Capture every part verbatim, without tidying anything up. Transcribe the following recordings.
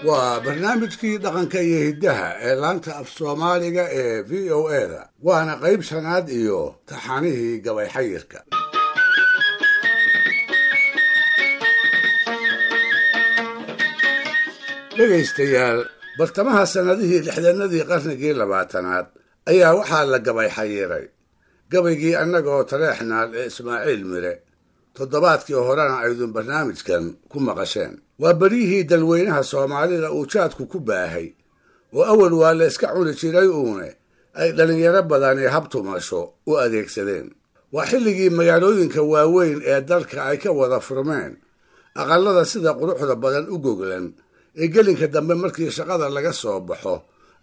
Waa barnaamijkii dhaqanka iyo hiddaha ee laanta af Soomaaliga ee V O A da, waana qayb shanaad iyo taxanihii gabay xayirka. Dhegaystayaal, bartamaha sannadihii lixdanadii qarnigii labaatanaad ayaa waxaa la gabay xayiray gabaygii annagoo tareexnaal ee Ismaaciil Mire. Toddobaadkii horena aydun barnaamijkan ku maqasheen. Waa beryihii dalweynaha Soomaalida uu jaadku ku baahay oo awal waa la iska cuni jiray uune ay dhallinyaro badani habtumasho u adeegsadeen. Waa xilligii magaalooyinka waaweyn ee dalka ay ka wada furmeen aqallada sida quruxda badan u goglan ee gelinka dambe markii shaqada laga soo baxo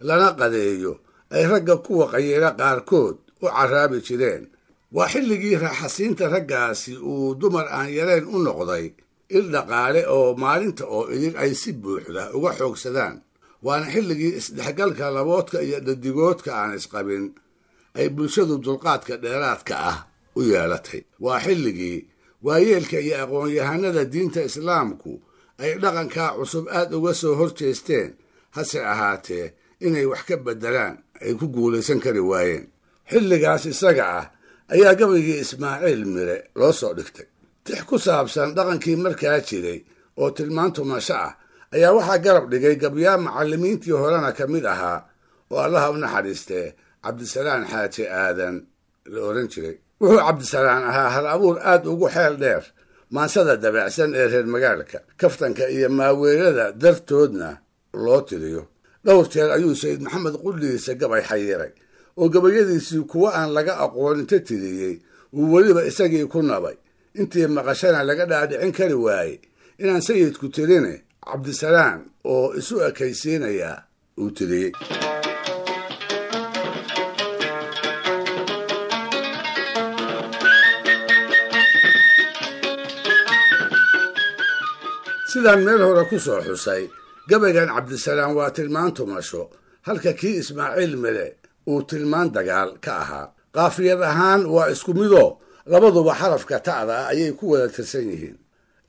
lana qadeeyo ay ragga kuwa qayila qaarkood u caraabi jireen. Waa xilligii raaxasiinta raggaasi uu dumar aan yareen u noqday il dhaqaale oo maalinta oo idin ay si buuxda uga xoogsadaan. Waana xilligii isdhexgalka laboodka iyo dhadigoodka aan isqabin ay bulshadu dulqaadka dheeraadka ah u yeelatay. Waa xilligii waayeelka iyo aqoon-yahanada diinta islaamku ay dhaqankaa cusub aad uga soo horjeesteen, hase ahaatee inay wax ka beddelaan ay ku guulaysan kari waayeen. Xilligaas isaga ah ayaa gabaygii Ismaaciil Mire loo soo dhigtay. Tix ku saabsan dhaqankii markaa jiray oo tilmaan tumasho ah ayaa waxaa garab dhigay gabyaa macallimiintii horena ka mid ahaa oo Allaha u naxariistee Cabdisalaan Xaaji Aadan la oran jiray. Wuxuu Cabdisalaan ahaa hal abuur aad ugu xeel dheer maansada dabacsan ee reer magaalka, kaftanka iyo maaweelada dartoodna loo tiriyo. Dhowr jeer ayuu Sayid Maxamed qudhiisa gabay xayiray oo gabayadiisii kuwa aan laga aqoon inta tiriyey uu weliba isagii ku nabay. Intii maqashana laga dhaadhicin kari waayey inaan sayidku tirine Cabdisalaan oo isu ekaysiinayaa uu tiriyey. Sidaan meel hore ku soo xusay, gabaygan Cabdisalaan waa tilmaan tumasho, halka kii Ismaaciil Mire uu tilmaan dagaal ka ahaa. Qaafiyad ahaan waa isku midoo labaduba xarafka ta'da ah ayay ku wada tirsan yihiin.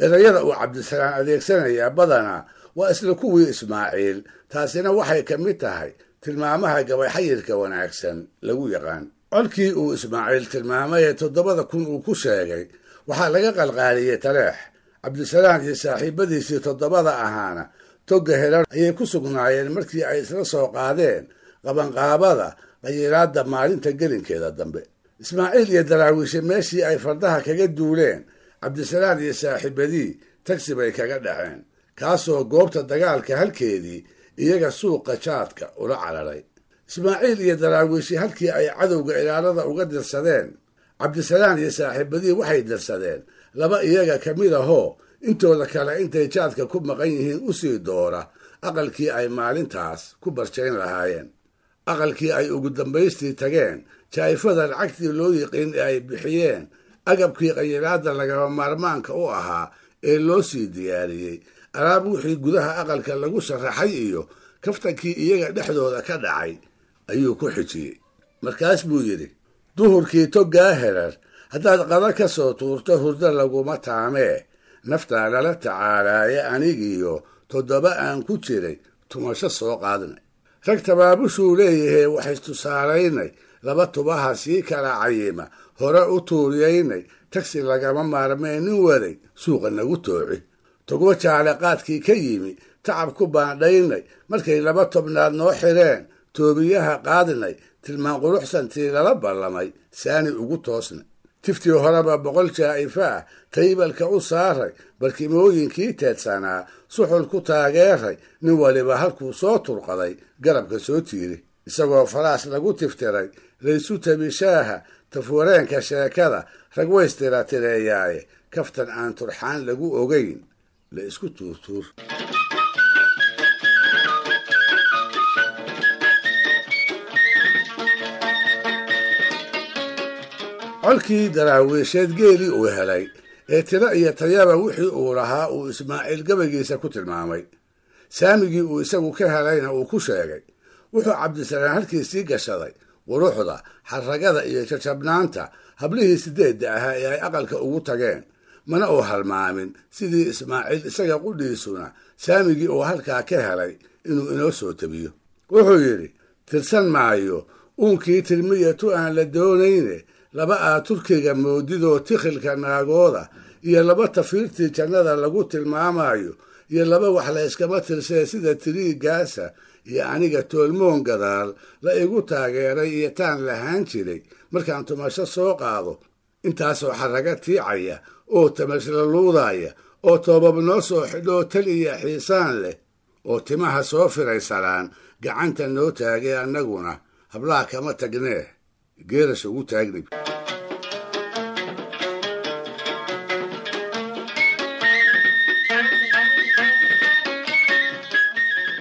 Erayada uu Cabdisalaan adeegsanayaa badanaa waa isla kuwii Ismaaciil, taasina waxay ka mid tahay tilmaamaha gabay xayirka wanaagsan lagu yaqaan. Colkii uu Ismaaciil tilmaamay ee toddobada kun uu ku sheegay waxaa laga qalqaaliyey Taleex. Cabdisalaan iyo saaxiibadiisii toddobada ahaana togga helan ayay ku sugnaayeen markii ay isla soo qaadeen qabanqaabada qayiraadda maalinta gelinkeeda dambe. Ismaaciil iyo daraawiishe meeshii ay fardaha kaga duuleen, Cabdisalaan iyo saaxiibadii tagsi bay kaga dhaceen, kaasoo goobta dagaalka halkeedii iyaga suuqa jaadka ula cararay. Ismaaciil iyo daraawiishe halkii ay cadowga ilaalada uga dirsadeen, Cabdisalaan iyo saaxiibadii waxay dirsadeen laba iyaga ka mid ahoo intooda kale intay jaadka ku maqan yihiin u sii doora aqalkii ay maalintaas ku barjayn lahaayeen. Aqalkii ay ugu dambaystii tageen, jaa'ifada lacagtii loo yiqiin ee ay bixiyeen, agabkii qayiraadda lagama maarmaanka u ahaa ee loo sii diyaariyey, alaab wixii gudaha aqalka lagu sharaxay iyo kaftankii iyaga dhexdooda ka dhacay ayuu ku xijiyey. Markaas buu yidhi: duhurkii toggaa herar haddaad qada ka soo tuurto hurdo laguma taamee, naftaa lala tacaalaaye anigiyo toddoba aan ku jiray tumasho soo qaadnay. Rag tabaabushuu leeyahee wax istusaalaynay, laba tubaha sii kala cayima hore u tuuriyaynay, tagsi lagama maarmee nin waday suuqa nagu tooci. Togo jaale qaadkii ka yimi tacab ku baandhaynay, markay laba tobnaad noo xireen toobiyaha qaadnay, tilmaan quruxsantii lala ballamay saani ugu toosnay. Tiftii horeba boqol jaa'ifa ah taybalka u saaray, barkimooyinkii teedsanaa suxul ku taageeray, nin waliba halkuu soo turqaday garabka soo tiiri. Isagoo faraas lagu tiftiray laysu tabishaaha tafwareenka sheekada rag waystira tireeyaaye, kaftan aan turxaan lagu ogayn la isku tuurtuur. Colkii daraawiisheed geelii uu helay ee tiro iyo tayaba wixii uu lahaa uu Ismaaciil gabaygiisa ku tilmaamay, saamigii uu isagu ka helayna uu ku sheegay. Wuxuu Cabdisalaan halkiisii gashaday quruxda, xarragada iyo jajabnaanta hablihii sideedda ahaa ee ay aqalka ugu tageen. Mana uu halmaamin sidii Ismaaciil isaga qudhiisuna saamigii uu halkaa ka helay inuu inoo soo tabiyo. Wuxuu yidhi tirsan maayo uunkii tirmiyatu aan la doonayne, laba aa Turkiga moodidoo tikhilka naagooda, iyo laba tafiirtii jannada lagu tilmaamayo, iyo laba wax la iskama tirsee sida tiriigaasa, iyo aniga toolmoon gadaal la igu taageeray iyo taan lahaan jiray markaan tumasho soo qaado, intaasoo xarraga tiicaya oo tamashla luudaya oo toobab noo soo xidhoo tal iyo xiisaan leh oo timaha soo firaysanaan gacanta noo taagay, annaguna hablaha kama tagnee geerasha ugu taagnay.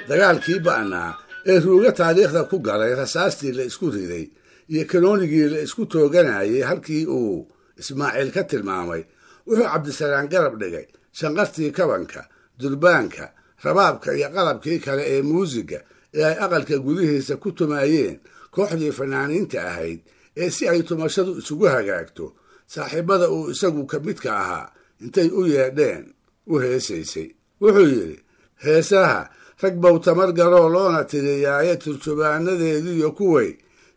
Dagaalkii ba'naa ee ruuga taariikhda ku galay, rasaastii la isku riday iyo kanoonigii la isku tooganayay halkii uu Ismaaciil ka tilmaamay, wuxuu Cabdisalaan garab dhigay shanqartii kabanka, durbaanka, rabaabka iyo qalabkii kale ee muusiga ee ay aqalka gudihiisa ku tumaayeen kooxdii fanaaniinta ahayd ee si ay tumashadu isugu hagaagto saaxiibada uu isagu ka midka ahaa intay u yeedheen u heesaysay. Wuxuu yidhi heesaha rag bow tamar garoo loona tiriyaaye turjubaanadeediyo kuway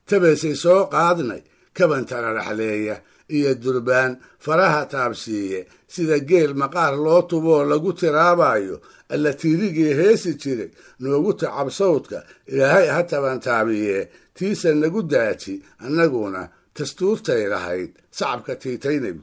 tabaysay soo qaadnay, kabantana dhaxleeya iyo durbaan faraha taabsiiye sida geel maqaar loo tuboo lagu tiraabayo, alla tiirigii heesi jiray noogu tacab sawdka, ilaahay ha tabantaabiye tiisa nagu daaji, annaguna dastuurtay lahayd sacabka tiitaynay.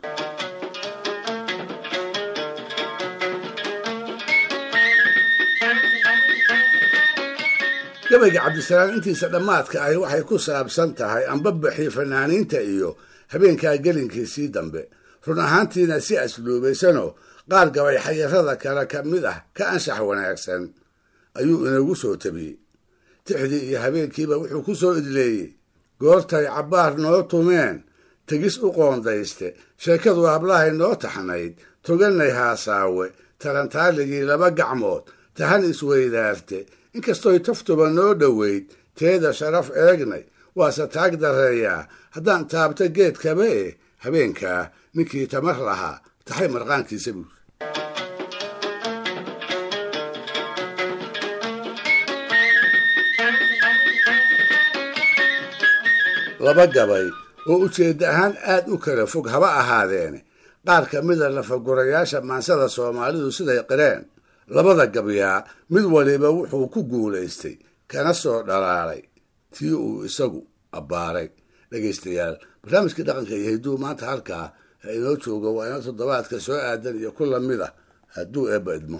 Gabayga Cabdisalaam intiisa dhammaadka ahi waxay ku saabsan tahay ambabaxii fanaaniinta iyo habeenkaa gelinkiisii dambe. Run ahaantiina si asluubaysanoo qaar gabay xayarada kale ka mid ah ka anshax wanaagsan ayuu inagu soo tabiyey. Tixdii iyo habeenkiiba wuxuu ku soo idleeyey goortay cabbaar noo tumeen, tegis u qoondayste, sheekadu hablahay noo taxnayd, toganay haasaawe, tarantaaligii laba gacmood tahan isweydaarte, inkastoy taftuba noo dhoweyd teeda sharaf eegnay, waase taag darreeyaa haddaan taabto geedkaba eh, habeenkaa ninkii tamar lahaa taxay marqaankiisa buur. Laba gabay oo ujeedda ahaan aad u kala fog haba ahaadeene, qaar ka mida lafagurayaasha maansada Soomaalidu siday qireen, labada gabyaa mid waliba wuxuu ku guulaystay kana soo dhalaalay tii uu isagu abbaaray. Dhegaystayaal, barnaamijkii dhaqanka iyo hidduu maanta halkaa ha inoo joogo, waa inoo toddobaadka soo aadan iyo ku lamid ah hadduu eebba idmo.